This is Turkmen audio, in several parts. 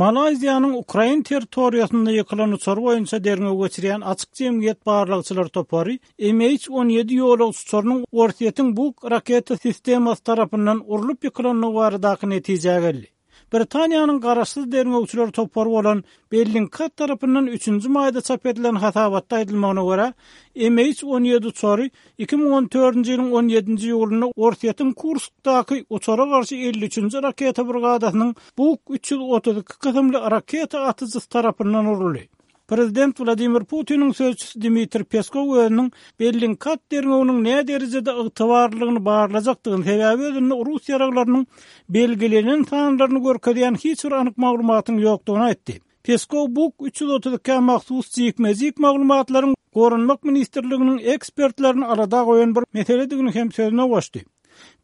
Malaýziýanyň ukrain territoriýasynda ýykylan uçary boýunça derňew geçirýän Açyk jemgyýet barlagçylar topary MH 17 ýolagçy uçarynyň Orsýetiň Buk raketa sistemasy tarapyndan urlup ýykylandygy baradaky netijä geldi. Britaniýanyň garaşsyz derňewçiler topary bolan Bellingcat tarapyndan üçünji maýda çap edilen hasabatda aýdylmagyna görä, MH 17 uçary 2014-nji ýylyň on ýedinji iýulynda Orsýetiň Kurskdaky uçara garşy 53-nji raketa brigadasynyň Buk 332 kysymly raketa atyjysy tarapyndan uruldy. Prezident Wladimir Putiniň sözçüsi Dmitriý Peskow özüniň Bellingcat derňewiniň näderejede ygtybarlylygyny barlajakdygyny, sebäbi özünde rus ýaraglarynyň belgilenen sanlaryny görkezýän hiç bir anyk maglumatyň ýokdugyny aýtdy. Peskow Buk 332-ä mahsus jikme-jik maglumatlaryň Goranmak ministrliginiň ekspertlerini alada goýan bir meseledigini hem sözüne goşdy.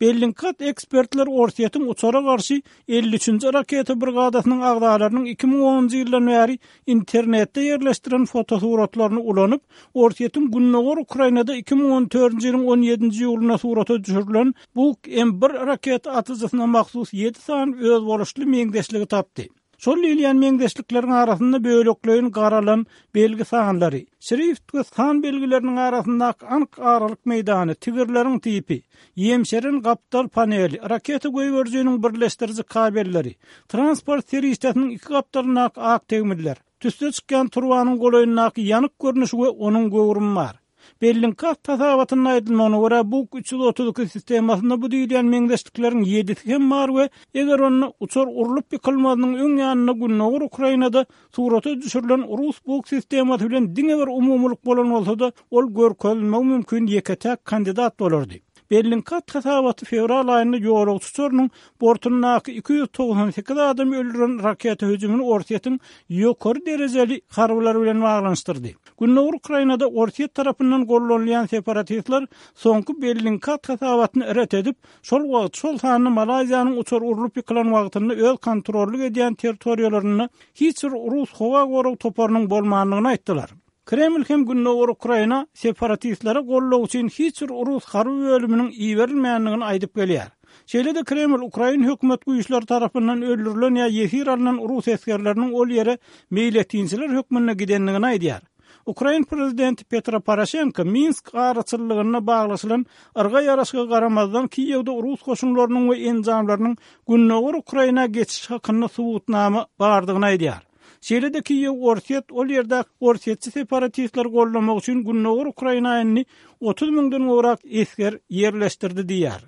Bellingkat ekspertler Orsýetiň uçara garşy 53-nji raketa brigadasynyň agzalarynyň 2010-njy ýyldan bäri internetde ýerleşdiren fotosuratlaryny ulanyp, Orsýetiň gündogar Ukrainada 2014-nji ýylyň 17-nji iýulynda surata düşürilen Buk-M1 raketa atyjysyna mahsus ýedi sany özboluşly meňzeşligi tapdy. Şol diýilýän meňzeşlikleriň arasynda bölekleýin garalan belgi sanlary, şrift we san belgileriniň arasyndaky anyk aralyk meýdany, tigirleriň tipi, ýemşeren gapdal paneli, raketa goýberijiniň birleşdiriji kabelleri, transport serişdesiniň iki gapdalyndaky ak tegmiller, tüsse çykýan turbanyň golaýyndaky ýanyk görnüşi we onuň göwrümi bar. Bellingcat hasabatynda aýdylmagyna görä, Buk 332 sistemasynda bu diýilýän meňzeşlikleriň ýedisi hem bar we eger onda uçar urlup ýykylmazynyň öň ýanynda gündogar Ukrainada surata düşürilen rus Buk sistemasy bilen diňe bir umumylyk bolan bolsa-da, ol görkezilmegi mümkin ýeke-täk kandidat bolardy. Bellingcat hasabaty fewral aýynda ýolagçy uçarynyň bortundaky 298 adamy öldüren raketa hüjümini Orsýetiň ýokary derejeli harbylary bilen baglanyşdyrdy. Gündogar Ukrainada Orsýet tarapyndan gollanylýan separatistler soňky Bellingcat hasabatyny ret edip, şol wagt, şol sanda Malaýziýanyň uçary urlup ýykylan wagtynda öz kontrollyk edýän territoriýalarynda hiç bir rus howa gorag toparynyň bolmandygyny aýtdylar. Kreml hem Gündogar Ukraina separatistlere goldaw üçin hiç bir rus harby bölüminiň iberilmändigini aýdyp gelýär. Şeýle-de Kreml ukrain hökümet güýçleri tarapyndan öldürilen ýa ýesir alnan rus esgerleriniň ol ýere meýletinçiler hökmünde gidendigini aýdýar. Ukrain prezidenti Petro Poroşenko Minsk araçyllygynda baglaşylan yrga ýaraşyga garamazdan Kiýewde rus goşunlarynyň we enjamlarynyň gündogar Ukraina geçişi hakynda subutnama bardygyny aýdýar. Şeýle-de Kiýew Orsýet ol ýerdäki orsýetçi separatistleri goldamak üçin gündogar Ukraina indi 30 müňden gowrak esger ýerleşdirdi diýýär.